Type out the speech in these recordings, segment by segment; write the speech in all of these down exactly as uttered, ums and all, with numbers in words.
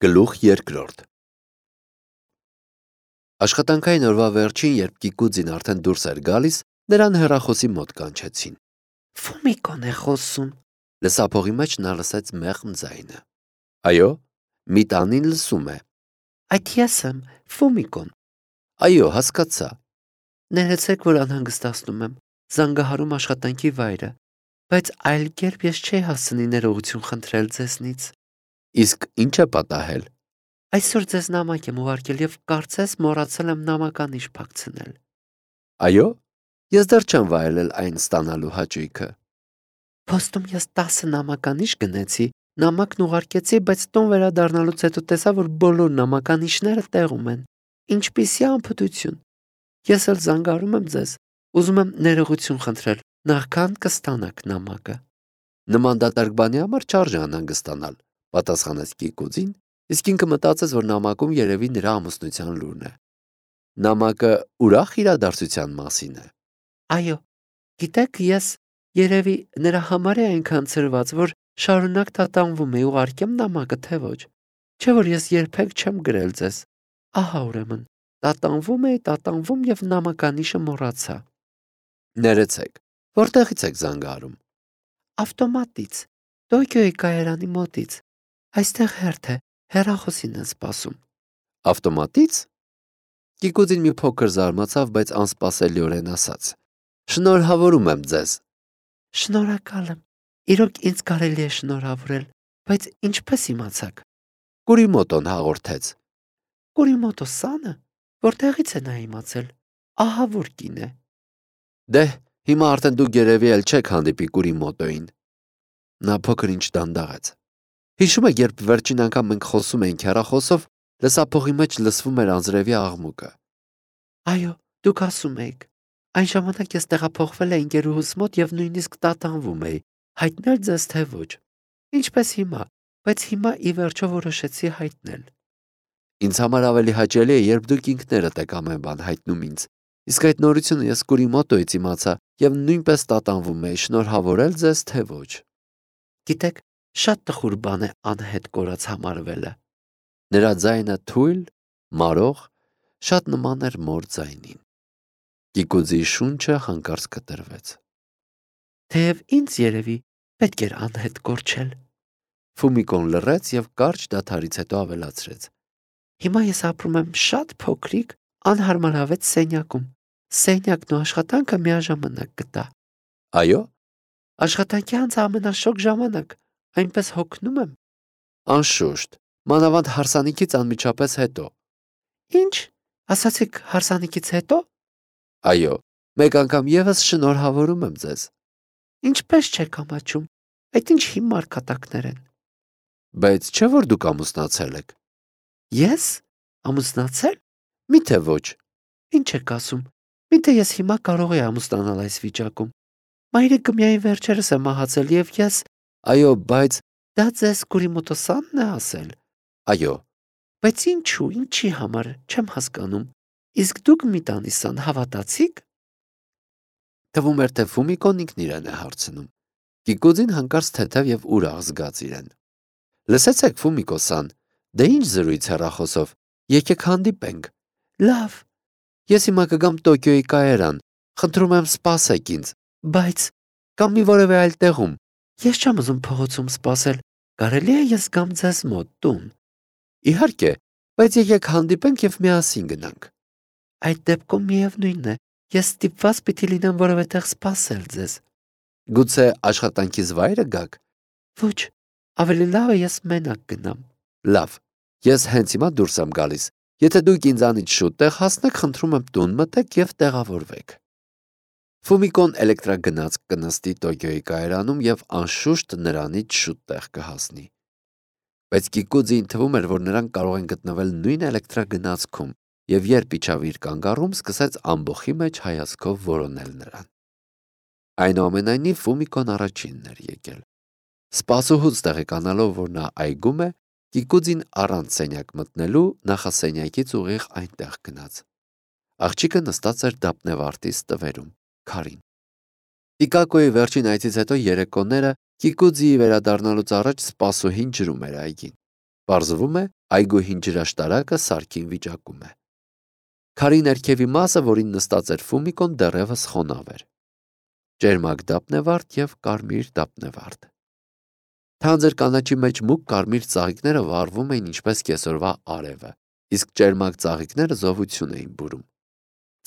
Գլուխ երկրորդ Աշխատանքային օրվա վերջին, երբ Կիկուձին արդեն դուրս էր գալիս, նրան հեռախոսի մոտ կանչեցին։ Ֆումիկոն է խոսում։ Լսափողի մեջ նա լսեց մեղմ ձայնը։ Այո, մի տանին լսում է։ Այդ ես եմ, Ֆումիկոն։ Այո, հասկացա։ Ներեցեք, որ անհանգստացնում եմ, զանգահարում աշխատանքի վայրը, բայց այլ կերպ ես չէի հասցնի ներողություն խնդրել ձեզնից։ Իսկ ինչ է պատահել։ Այսօր ձեզ նամակ եմ ուղարկել եւ կարծես մոռացել եմ նամականիշ փակցնել։ Այո, ես դեռ չեմ վայելել այն ստանալու հաճույքը։ Փոստում ես տասը նամականիշ գնեցի, նամակն ուղարկեցի, բայց տուն վերադառնալուց հետո տեսա, որ բոլոր նամականիշները տեղում են։ Ինչպիսի անփութություն։ Ես էլ զանգարում եմ ձեզ, ուզում եմ ներողություն խնդրել, նախքան կստանաք նամակը։ Նման դատարկ բանի համար չարժե անհանգստանալ, պատասխանեց Կիկուձին, իսկ ինքը մտածեց, որ նամակում երևի նրա ամուսնության լուրն է։ Նամակը ուրախ իրադարձության մասին է։ Այո, գիտեք, ես երևի նրա համար է այնքան ցրված, որ շարունակ տատանվում է, ուղարկեմ նամակը, թե ոչ։ Չէ՞ որ ես երբեք չեմ գրել ձեզ։ Ահա ուրեմն, տատանվում էի, տատանվում եւ նամականիշը մոռացա։ Ներեցեք, որտեղից եք զանգահարում։ Ավտոմատից, Տոկիոյի կայարանի մոտից։ Այստեղ հերթ է, հեռախոսին են սպասում։ Ավտոմատից։ Կիկուձին մի փոքր զարմացավ, բայց անսպասելիորեն ասաց. Շնորհավորում եմ ձեզ։ Շնորհակալ եմ։ Իրոք ինձ կարելի է շնորհավորել, բայց ինչպես իմացաք։ Կուրիմոտոն հաղորդեց։ Կուրիմոտո-սանը, որտեղից է նա իմացել։ Ահա որ կին է։ Դե, հիմա արդեն դուք երևի էլ չեք հանդիպի Կուրիմոտոին։ Նա փոքր ինչ դանդաղեց։ Հիշում եք, երբ վերջին անգամ մենք խոսում էինք հեռախոսով, լսափողի մեջ լսվում էր անձրևի աղմուկը։ Այո, դուք ասում եք։ Այն ժամանակ ես տեղափոխվել էի ընկերուհուս մոտ եւ նույնիսկ տատանվում էի, հայտնել ձեզ թե ոչ։ Ինչպես հիմա, բայց հիմա ի վերջո որոշեցի հայտնել։ Ինձ համար ավելի հաճելի է, երբ դուք ինքներդ եք ամեն բան հայտնում ինձ։ Իսկ այդ նորությունը ես Կուրիմոտոից իմացա եւ նույնպես տատանվում էի, շնորհավորել ձեզ թե ոչ։ Գիտեք, շատ տխուր բան է անհետ կորած համարվելը։ Նրա ձայնը թույլ, մարող, շատ նման էր մոր ձայնին։ Կիկուձի շունչը հանկարծ կտրվեց։ Թեև ինձ երևի պետք էր անհետ կորչել։ Ֆումիկոն լռեց եւ կարճ դադարից հետո ավելացրեց. Հիմա ես ապրում եմ շատ փոքրիկ, անհարմարավետ սենյակում։ Սենյակն ու աշխատանքը միաժամանակ գտա։ Այո։ Աշխատանքի անց ամենաշոգ ժամանակ, այնպես հոգնում եմ։ Անշուշտ, մանավանդ հարսանիքից անմիջապես հետո։ Ինչ, ասացիք հարսանիքից հետո։ Այո, մեկ անգամ եւս շնորհավորում եմ ձեզ։ Ինչպես չեք ամաչում։ Այդ ինչ հիմար կատակներ են։ Բայց չէ՞ որ դուք ամուսնացել եք։ Ես ամուսնացել։ Միթե ոչ։ Ինչ եք ասում։ Միթե ես հիմա կարող եի ամուսնանալ այս վիճակում։ Մայրիկը միայն վերջերս է մահացել եւ ես։ Այո, բայց դա ձեզ Կուրիմոտո-սանն է ասել։ Այո։ Բայց ինչու, ինչի համար, չեմ հասկանում։ Իսկ դուք մի տանիսան հավատացիք։ Թվում էր, թե Ֆումիկոն ինքն իրեն է հարցնում։ Կիկուձին հանկարծ թեթև եւ ուրախ զգաց իրեն։ Լսեցեք, Ֆումիկո-սան, դե ինչ զրույց հեռախոսով։ Եկեք հանդիպենք։ Լավ։ Ես հիմա կգամ Տոկիոյի կայարան։ Խնդրում եմ սպասեք ինձ։ Բայց կամ մի որևէ այլ տեղում։ Ես չեմ ուզում փողոցում սպասել։ Կարելի է ես գամ ձեզ մոտ տուն։ Իհարկե, բայց եկեք հանդիպենք եւ միասին գնանք։ Այդ դեպքում միևնույնն է, ես ստիպված պիտի լինեմ որևէ տեղ սպասել ձեզ։ Գուցե աշխատանքից վայրը գաք։ Ոչ, ավելի լավ է ես մենակ գնամ։ Լավ, ես հենց հիմա դուրս եմ գալիս։ Եթե դուք ինձանից շուտ տեղ հասնեք, խնդրում եմ տուն մտեք եւ տեղավորվեք։ Ֆումիկոն էլեկտրագնաց կնստի Տոկիոյի կայարանում եւ անշուշտ նրանից շուտ տեղ կհասնի։ Բայց Կիկուձին թվում էր, որ նրանք կարող են գտնվել նույն էլեկտրագնացքում եւ երբ իջավ իր կանգառում, սկսեց ամբոխի մեջ հայացքով որոնել նրան։ Այնուամենայնիվ Ֆումիկոն առաջինն էր եկել։ Սպասուհուց տեղեկանալով, որ նա այգում է, Կիկուձին առանց սենյակ մտնելու նախասենյակից ուղիղ այնտեղ գնաց։ Աղջիկը նստած էր դափնեվարտի ստվերում, քարին։ Տիկակոյի վերջին այցից հետո երեկոները Կիկուձիի վերադառնալուց առաջ սպասուհին ջրում էր այգին։ Պարզվում է, այգու հին ջրաշտարակը սարքին վիճակում է։ Քարի ներքևի մասը, որին նստած էր Ֆումիկոն, դեռևս խոնավ էր։ Ճերմակ դափնեվարդ և կարմիր դափնեվարդ։ Թանձր կանաչի մեջ մուգ կարմիր ծաղիկները վառվում էին ինչպես կեսօրվա արևը, իսկ ճերմակ ծաղիկները զովություն էին բուրում։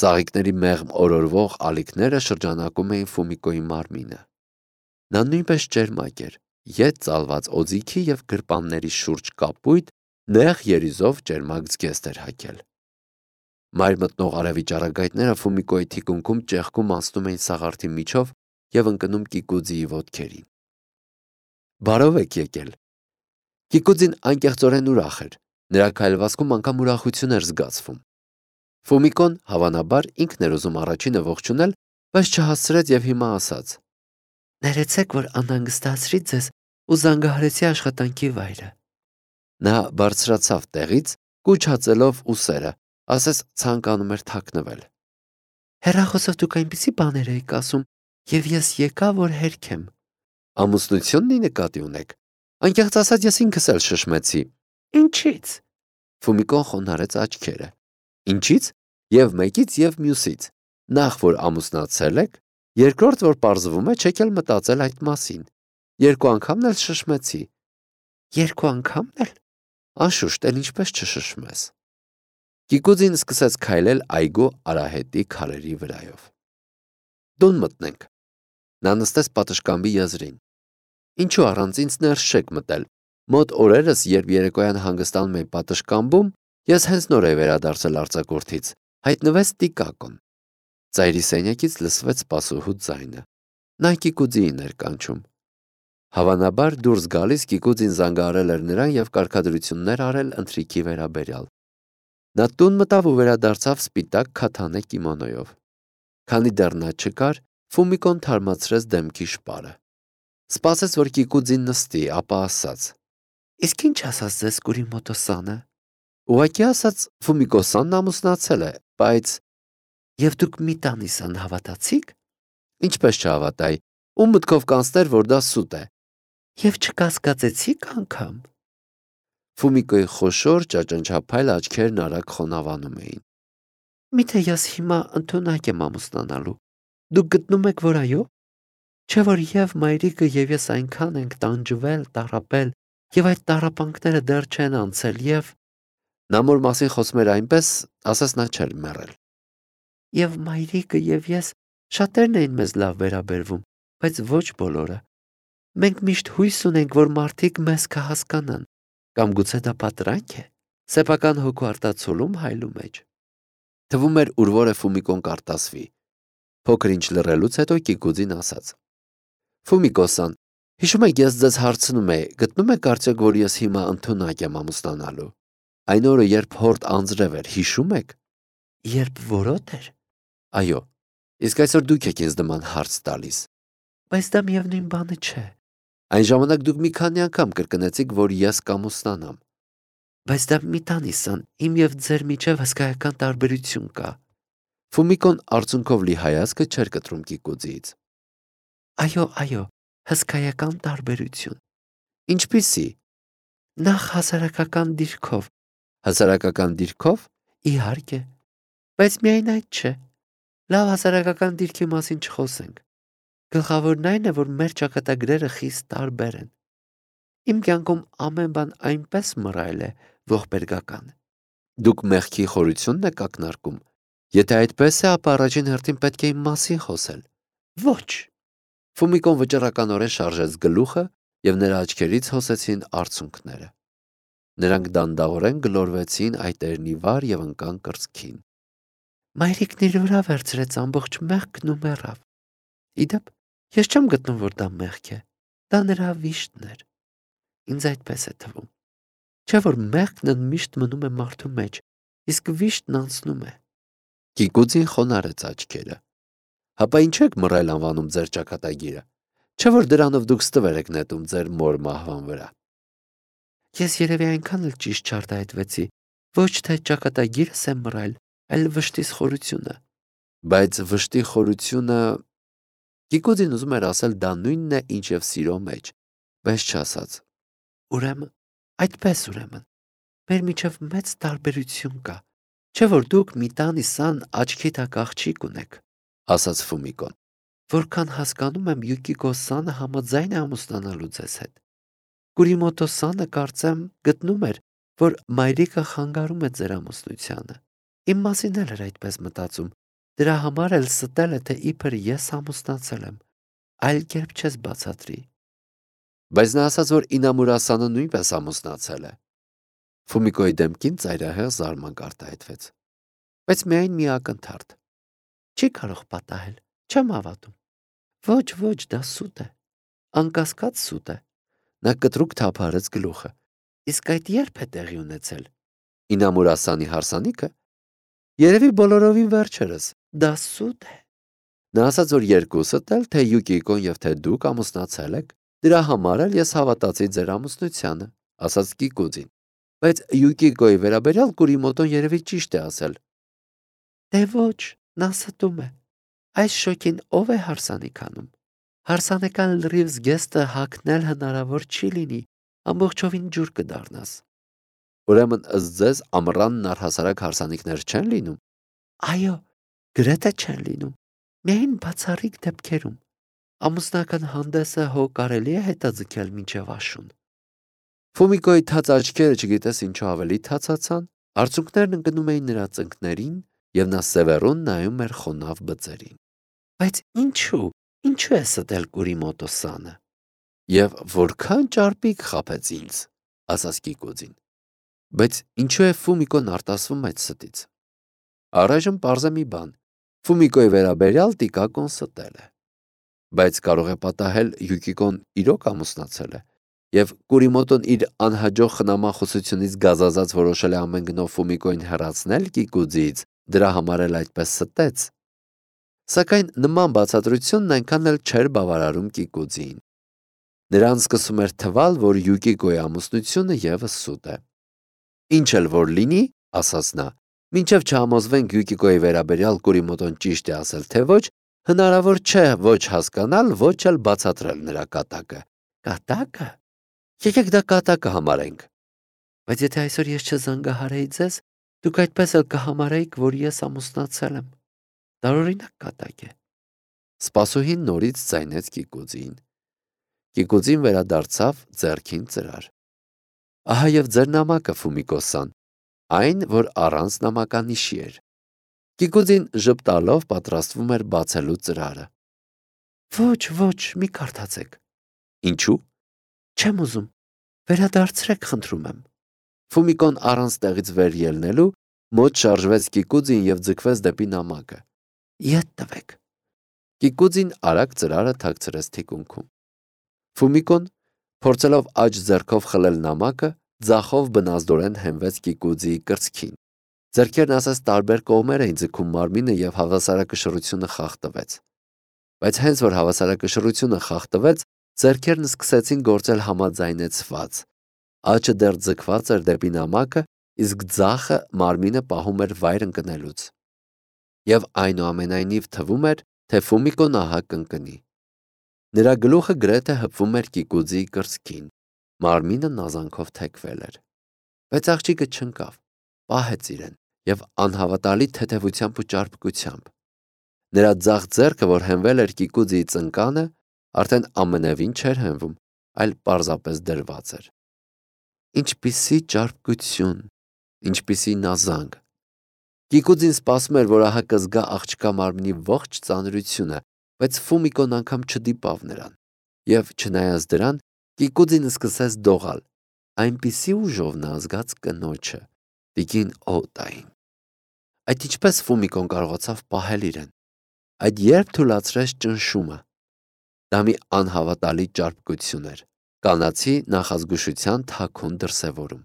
Ծաղիկների մեղմ օրորվող ալիքները շրջանակում էին Ֆումիկոյի մարմինը։ Նա նույնպես ճերմակ էր, ետ ծալված օձիքի և գրպանների շուրջ կապույտ, նեղ երիզով ճերմակ զգեստ էր հագել։ Մայր մտնող արևի ճառագայթները Ֆումիկոյի թիկունքում ճեղքում անցնում էին սաղարթի միջով և ընկնում Կիկուձիի ոտքերին։ Բարով եք եկել։ Կիկուձին անկեղծորեն ուրախ էր, նրա քայլվածքում անգամ ուրախություն էր զգացվում։ Ֆումիկոն, հավանաբար, ինքն էր ուզում առաջինը ողջունել, բայց չհասցրեց և հիմա ասաց. Ներեցեք, որ անհանգստացրի ձեզ ու զանգահարեցի աշխատանքի վայրը։ Նա բարձրացավ տեղից, կուչ ուսերը, ասես ցանկանում էր թաքնվել։ Հեռախոսով դուք այնպիսի բաներ էիք ասում, և ես եկա, որ հերքեմ։ Ամուսնությունն ի նկատի ունեք։ Անկեղծ ասած, ես ինքս էլ շշմեցի։ Ինչի՞ց։ Ֆումիկոն խոնարհեց աչքերը։ Ինչից։ Եվ մեկից, և մյուսից։ Նախ, որ ամուսնացել եք, երկրորդ, որ պարզվում է, չեք էլ մտածել այդ մասին։ Երկու անգամն էլ շշմեցի։ Երկու անգամն էլ։ Անշուշտ, էլ ինչպես չշշմես։ Կիկուձին սկսեց քայլել այգու արահետի քարերի վրայով։ Տուն մտնենք։ Նա նստեց պատշգամբի եզրին։ Ինչու առանց ինձ ներս չեք մտել։ Մոտ օրերս, երբ երեկոյան հանգստանում էի պատշգամբում, ես հենց նոր էի վերադարձել արձակուրդից, հայտնվեց Տիկակոն։ Ծայրի սենյակից լսվեց սպասուհու ձայնը։ Նա Կիկուձիին էր կանչում։ Հավանաբար դուրս գալիս Կիկուձին զանգահարել էր նրան և կարգադրություններ արել ընթրիքի վերաբերյալ։ Նա տուն մտավ ու վերադարձավ սպիտակ քաթանե կիմոնոյով։ Քանի դեռ նա չկար, Ֆումիկոն թարմացրեց դեմքի շպարը։ Սպասեց, որ Կիկուձին նստի, ապա ասաց. Իսկ ինչ ասաց ձեզ Կուրիմոտո-սանը։ Ուղղակի ասաց, Ֆումիկո-սանն ամուսնացել է, բայց… Եվ դուք Միտանիսան հավատացիք։ Ինչպես չհավատայի, ում մտքով կանցներ, որ դա սուտ է։ Եվ չկասկածեցիք անգամ։ Ֆումիկոյի խոշոր ճաճանչափայլ աչքերն արագ խոնավանում էին։ Միթե ես հիմա ընդունակ եմ ամուսնանալու։ Դուք գտնում եք, որ այո։ Չէ՞ որ և մայրիկը և ես այնքան ենք տանջվել, տառապել, և այդ տառապանքները դեռ չեն անցել, և… Նա մոր մասին խոսում էր այնպես, ասես նա չէր մեռել։ Եվ մայրիկը և ես շատերն էին մեզ լավ վերաբերվում, բայց ոչ բոլորը։ Մենք միշտ հույս ունենք, որ մարդիկ մեզ կհասկանան, կամ գուցե դա պատրանք է, սեփական հոգու արտացոլում հայլու մեջ։ Թվում էր ուր որ է Ֆումիկոն կարտասվի։ Փոքր ինչ լռելուց հետո Կիկուձին ասաց. Ֆումիկո-սան, հիշում եք, ես ձեզ հարցնում էի, գտնում եք արդյոք, որ ես հիմա ընդունակ եմ ամուսնանալու։ Այն օրը, երբ հորդ անձրև էր, հիշում եք։ Երբ որոտ էր։ Այո, իսկ այսօր դուք եք ինձ նման հարց տալիս։ Բայց դա միևնույն բանը չէ։ Այն ժամանակ դուք մի քանի անգամ կրկնեցիք, որ ես կամուսնանամ։ Բայց դա Միտանիսան, իմ և ձեր միջև հսկայական տարբերություն կա։ Ֆումիկոն արցունքով լի հայացքը չէր կտրում Կիկուձիից։ Այո, այո, հսկայական տարբերություն։ Ինչպիսի։ Նախ հասարակական դիրքով։ Հասարակական դիրքով։ Իհարկե։ Բայց միայն այդ չէ։ Լավ հասարակական դիրքի մասին չխոսենք։ Գլխավորն այն է, որ մեր ճակատագրերը խիստ տարբեր են։ Իմ կյանքում ամեն բան այնպես մռայլ է, ողբերգական։ Դուք մեղքի խորությունն եք ակնարկում։ Եթե այդպես է, ապա առաջին հերթին պետք է իմ մասին խոսել։ Ոչ։ Ֆումիկոն վճռականորեն շարժեց գլուխը, և նրա աչքերից հոսեցին արցունքները։ Նրանք դանդաղորեն գլորվեցին այտերնի վար և ընկան կրծքին։ Մայրիկն իր վրա վերցրեց ամբողջ մեղքն ու մեռավ։ Իդեպ, ես չեմ գտնում, որ դա մեղք է։ Դա նրա վիշտն էր։ Ինձ այդպես է թվում։ Չէ՞ որ մեղքն ընդմիշտ մնում է մարդու մեջ, իսկ վիշտն անցնում է։ Կիկուձին խոնարհեց աչքերը։ Հապա ինչ եք մռայլ անվանում ձեր ճակատագիրը։ Չէ՞ որ դրանով դուք ստվեր եք նետում ձեր մոր մահվան վրա։ Ես երևի այնքան էլ ճիշտ չարտահայտվեցի, ոչ թե ճակատագիրս է մռայլ, այլ վշտիս խորությունը։ Բայց վշտի խորությունը… Կիկուձին ուզում էր ասել դա նույնն է, ինչ և սիրո մեջ, բայց չասաց։ Ուրեմն Այդպես ուրեմն, մեր միջև մեծ տարբերություն կա, չէ՞ որ դուք մի տան իսան աչքի տակ աղջիկ ունեք, ասաց Ֆումիկոն։ որքան հասկանում եմ Յուկիկո Սանը համաձայն է ամուսնանալու ձեզ հետ։ Կուրիմոտո Սանը կարծեմ գտնում էր, որ մայրիկը խանգարում է ձեր ամուսնությանը։ Իմ մասին էլ էր այդպես մտածում, դրա համար էլ ստել է, թե իբր ես ամուսնացել եմ, այլ կերպ չես բացատրի։ Բայց նա ասաց, որ Ինամուրա Սանը նույնպես ամուսնացել է։ Ֆումիկոյի դեմքին ծայրահեղ զարմանք արտահայտվեց։ Բայց միայն մի ակնթարթ։ Չի կարող պատահել, չեմ հավատում։ Ոչ, ոչ, դա սուտ է, անկասկած սուտ է։ Նա կտրուկ թափահարեց գլուխը։ Իսկ այդ երբ է տեղի ունեցել։ Ինամուրա Սանի հարսանիքը երևի բոլորովին վերջերս։ Դա սուտ է։ Նա ասաց, որ երկուսդ էլ, թե Յուկիկոն եւ թե դուք ամուսնացել եք, դրա համար էլ ես հավատացի ձեր ամուսնությանը, ասաց Կիկուձին։ Բայց Յուկիկոյի վերաբերյալ Կուրիմոտոն երևի ճիշտ է ասել։ Դե ոչ, նա ստում է։ Այս շոկին ով է հարսանիք անում։ Հարսանեկան լրիվ զգեստը հագնել հնարավոր չի լինի, ամբողջովին ջուր կդառնաս։ Ուրեմն ըստ ձեզ ամռանն առհասարակ հարսանիքներ չեն լինում։ Այո, գրեթե չեն լինում։ Միայն բացառիկ դեպքերում։ Ամուսնական հանդեսը հո կարելի է հետաձգել մինչև աշուն։ Ֆումիկոյի թաց աչքերը չգիտես ինչու ավելի թացացան, արցունքներն ընկնում էին նրա ծնկներին, եւ նա սևեռուն նայում էր խոնավ բծերին։ Բայց ինչու, ինչու է ստել Կուրիմոտո Սանը։ Եվ որքան ճարպիկ խաբեց ինձ, ասաց Կիկուձին։ Բայց ինչու է Ֆումիկոն արտասվում այդ ստից։ Առայժմ պարզ է մի բան. Ֆումիկոյի վերաբերյալ Տիկակոն ստել է։ Բայց կարող է պատահել Յուկիկոն իրոք ամուսնացել է, եւ Կուրիմոտոն իր անհաջող խնամախոսությունից գազազած որոշել է ամեն գնով Ֆումիկոյին հեռացնել Կիկուձից, դրա համար էլ այդպես ստեց։ Սակայն նման բացատրությունն այնքան էլ չէր բավարարում Կիկուձին։ Նրան սկսում էր թվալ, որ Յուկիկոյի ամուսնությունը եւս սուտ է։ Ինչ էլ որ լինի, ասաց նա, մինչև չհամոզվենք Յուկիկոյի վերաբերյալ Կուրիմոտոն ճիշտ է ասել, թե ոչ, հնարավոր չէ ոչ հասկանալ, ոչ էլ բացատրել նրա կատակը։ Կատակը։ Եկեք դա կատակը համարենք։ Բայց եթե այսօր ես չզանգահարեի ձեզ, դուք այդպես էլ կհամարեիք, որ ես ամուսնացել եմ։ Տարօրինակ կատակ է։ Սպասուհին նորից ձայնեց Կիկուձին։ Կիկուձին վերադարձավ ձեռքին ծրար։ Ահա եւ ձեր նամակը, Ֆումիկո-սան, այն, որ առանց նամականիշի էր։ Կիկուձին ժպտալով պատրաստվում էր բացելու ծրարը։ Ոչ, ոչ, մի կարդացեք։ Ինչու։ Չեմ ուզում։ Վերադարձրեք, խնդրում եմ։ Ֆումիկոն առանց տեղից վեր ելնելու մոտ շարժվեց Կիկուձին եւ ձգվեց դեպի նամակը։ Ետ տվեք։ Կիկուձին արագ ծրարը թաքցրեց թիկունքում։ Ֆումիկոն, փորձելով աջ ձեռքով խլել նամակը, ձախով բնազդորեն հենվեց Կիկուձիի կրծքին։ Ձեռքերն ասես տարբեր կողմեր էին ձգում մարմինը եւ հավասարակշռությունը խախտվեց։ Բայց հենց որ հավասարակշռությունը խախտվեց, ձեռքերն սկսեցին գործել համաձայնեցված։ Աջը դեռ ձգված էր դեպի նամակը, իսկ ձախը մարմինը պահում էր վայր ընկնելուց։ Եվ այնուամենայնիվ թվում էր, թե Ֆումիկոն ահա կընկնի։ Նրա գլուխը գրեթե հպվում էր Կիկուձիի կրծքին, մարմինը նազանքով թեքվել էր։ Բայց աղջիկը չընկավ, պահեց իրեն եւ անհավատալի թեթևությամբ ու ճարպկությամբ։ Նրա ձախ ձեռքը, որ հենվել էր Կիկուձիի ծնկանը, արդեն ամենևին չէր հենվում, այլ պարզապես դրված էր։ Ինչպիսի ճարպկություն, ինչպիսի նազանք։ Կիկուձին սպասում էր, որ ահա կզգա աղջկա մարմնի ողջ ծանրությունը, բայց Ֆումիկոն անգամ չդիպավ նրան։ Եվ չնայած դրան, Կիկուձին սկսեց դողալ, այնպիսի ուժով նա զգաց կնոջը, տիկին Օտային։ Այդ ինչպես Ֆումիկոն կարողացավ պահել իրեն։ Այդ երբ թուլացրեց ճնշումը։ Դա մի անհավատալի ճարպկություն էր, կանացի նախազգուշության թաքուն դրսևորում։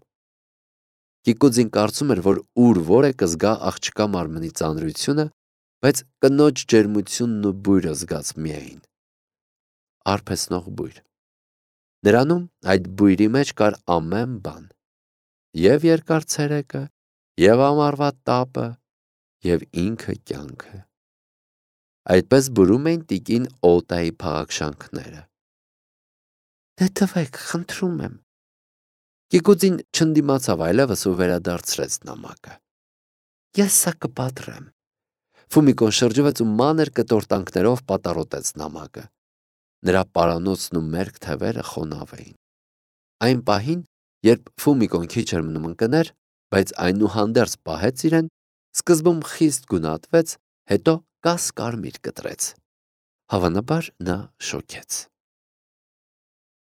Կիկուձին կարծում էր, որ ուր որ է կզգա աղջկա մարմնի ծանրությունը, բայց կնոջ ջերմությունն ու բույրը զգաց միայն։ Արփեսնող բույր։ Նրանում այդ բույրի մեջ կար ամեն բան։ Եվ երկար ցերեկը, եւ ամառվա տապը, եւ ինքը կյանքը։ Այդպես բուրում էին տիկին Օտայի փաղաքշանքները։ Դե տվեք, խնդրում եմ։ Կիկուծին չընդդիմացավ այլևս ու վերադարձրեց նամակը։ Ես սա կպատրեմ։ Ֆումիկոն շրջվեց ու մանր կտորտանքներով պատառոտեց նամակը։ Նրա պարանոցն ու մերկ թևերը խոնավ էին։ Այն պահին, երբ Ֆումիկոն քիչ էր մնում ընկներ, բայց այնուհանդերձ պահեց իրեն, սկզբում խիստ գունատվեց, հետո կաս կարմիր կտրեց։ Հավանաբար նա շոքեց։